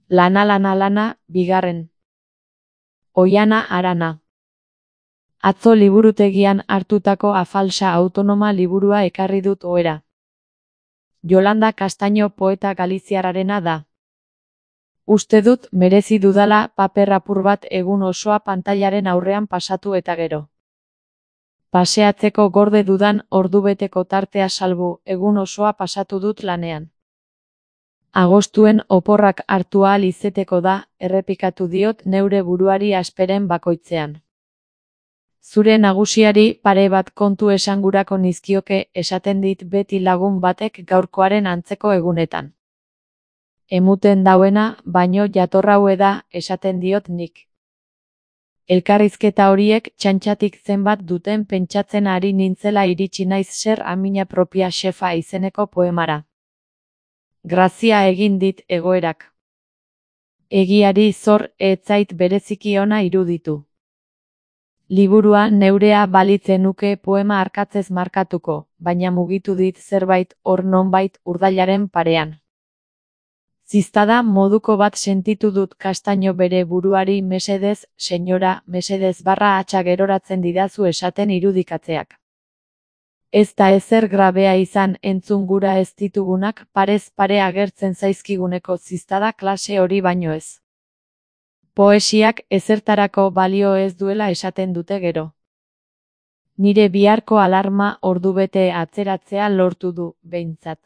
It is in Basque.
Lana lana lana, bigarren. Oihana Arana. Atzo liburutegian hartutako Afalsa autonoma liburua ekarri dut ohera. Yolanda Castaño poeta galiziarrarena da. Uste dut merezi dudala paper apur bat egun osoa pantailaren aurrean pasatu eta gero. Paseatzeko gorde dudan ordubeteko tartea salbu, egun osoa pasatu dut lanean. Agostuen oporrak hartu ahal izeteko da, errepikatu diot neure buruari asperen bakoitzean. Zure nagusiari pare bat kontu esangurako nizkioke, esaten dit beti lagun batek gaurkoaren antzeko egunetan. Emuten dauena, baino jatorraue da, esaten diot nik. Elkarrizketa horiek txantxatik zenbat duten pentsatzen ari nintzela iritsi naiz Ser a miña propia xefa izeneko poemara. Grazia egin dit egoerak. Egiari zor ez zait bereziki ona iruditu. Liburua neurea balitzen nuke poema arkatzez markatuko, baina mugitu dit zerbait hor nonbait urdailaren parean. Ziztada moduko bat sentitu dut Castaño bere buruari mesedez, senyora, mesedez _hatxa geroratzen didazu esaten irudikatzeak. Ez da ezer grabea izan entzun gura ez ditugunak parez pare agertzen zaizkiguneko ziztada klase hori baino ez. Poesiak ezertarako balio ez duela esaten dute gero. Nire biharko alarma ordubete atzeratzea lortu du, behintzat.